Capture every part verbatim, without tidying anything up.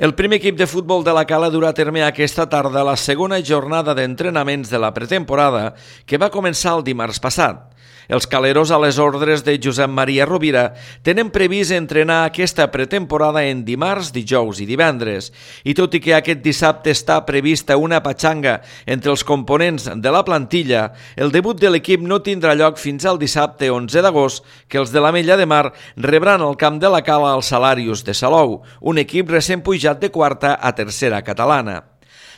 El primer equip de futbol de la Cala durà a terme aquesta tarda la segona jornada d'entrenaments de la pretemporada que va començar el dimarts passat. Els caleros, a les ordres de Josep Maria Rovira, tenen previst entrenar aquesta pretemporada en dimarts, dijous i divendres. I tot i que aquest dissabte està prevista una patxanga entre els components de la plantilla, el debut de l'equip no tindrà lloc fins al dissabte onze d'agost, que els de l'Ametlla de Mar rebran al camp de la Cala els Salarios de Salou, un equip recent pujat de quarta a tercera catalana.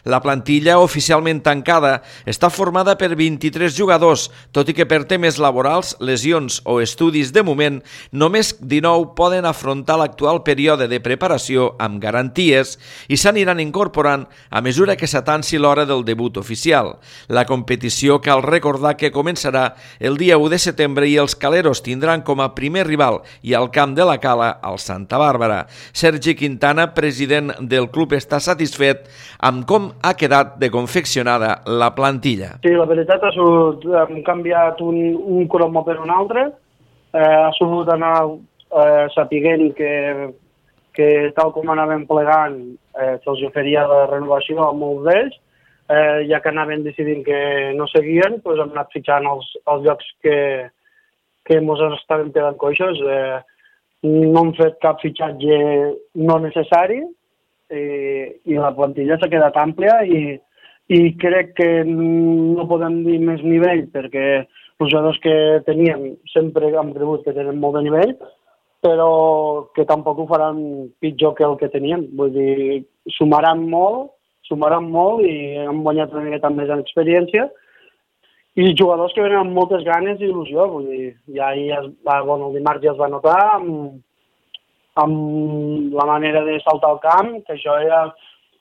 La plantilla, oficialment tancada, està formada per vint-i-tres jugadors, tot i que per temes laborals, lesions o estudis de moment, només dinou poden afrontar l'actual període de preparació amb garanties i s'aniran incorporant a mesura que s'atanci l'hora del debut oficial. La competició cal recordar que començarà el dia u de setembre i els caleros tindran com a primer rival i al camp de la Cala al Santa Bàrbara. Sergi Quintana, president del club, està satisfet amb com ha quedat de confeccionada la plantilla. Sí, la veritat ha sigut, hem canviat un, un cromo per un altre, eh, ha sigut anar eh, sapiguent que, que tal com anàvem plegant eh, se'ls oferia la renovació a molts d'ells, eh, ja que anaven decidint que no seguien, doncs hem anat fitxant els, els llocs que, que ens estaven quedant coixos. Eh, no hem fet cap fitxatge no necessari, i la plantilla s'ha quedat àmplia i, i crec que no podem dir més nivell perquè els jugadors que teníem sempre hem cregut que tenen molt de nivell, però que tampoc ho faran pitjor que el que teníem. Vull dir, sumaran molt, sumaran molt i hem guanyat una miqueta més en experiència i jugadors que venen amb moltes ganes i il·lusió. Vull dir, ja, ja es va, bueno, el dimarts ja es va notar amb, amb la manera de saltar al camp, que això ja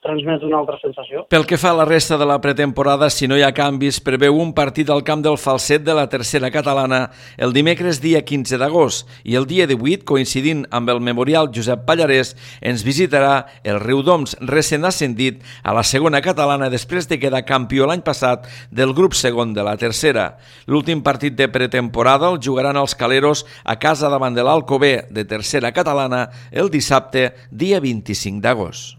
transmet una altra sensació. Pel que fa a la resta de la pretemporada, si no hi ha canvis, preveu un partit al camp del Falset de la tercera catalana el dimecres dia quinze d'agost i el dia divuit, coincidint amb el Memorial Josep Pallarès, ens visitarà el Riudoms, recent ascendit a la segona catalana després de quedar campió l'any passat del grup segon de la tercera. L'últim partit de pretemporada el jugaran els caleros a casa davant de l'Alcover de tercera catalana el dissabte dia vint-i-cinc d'agost.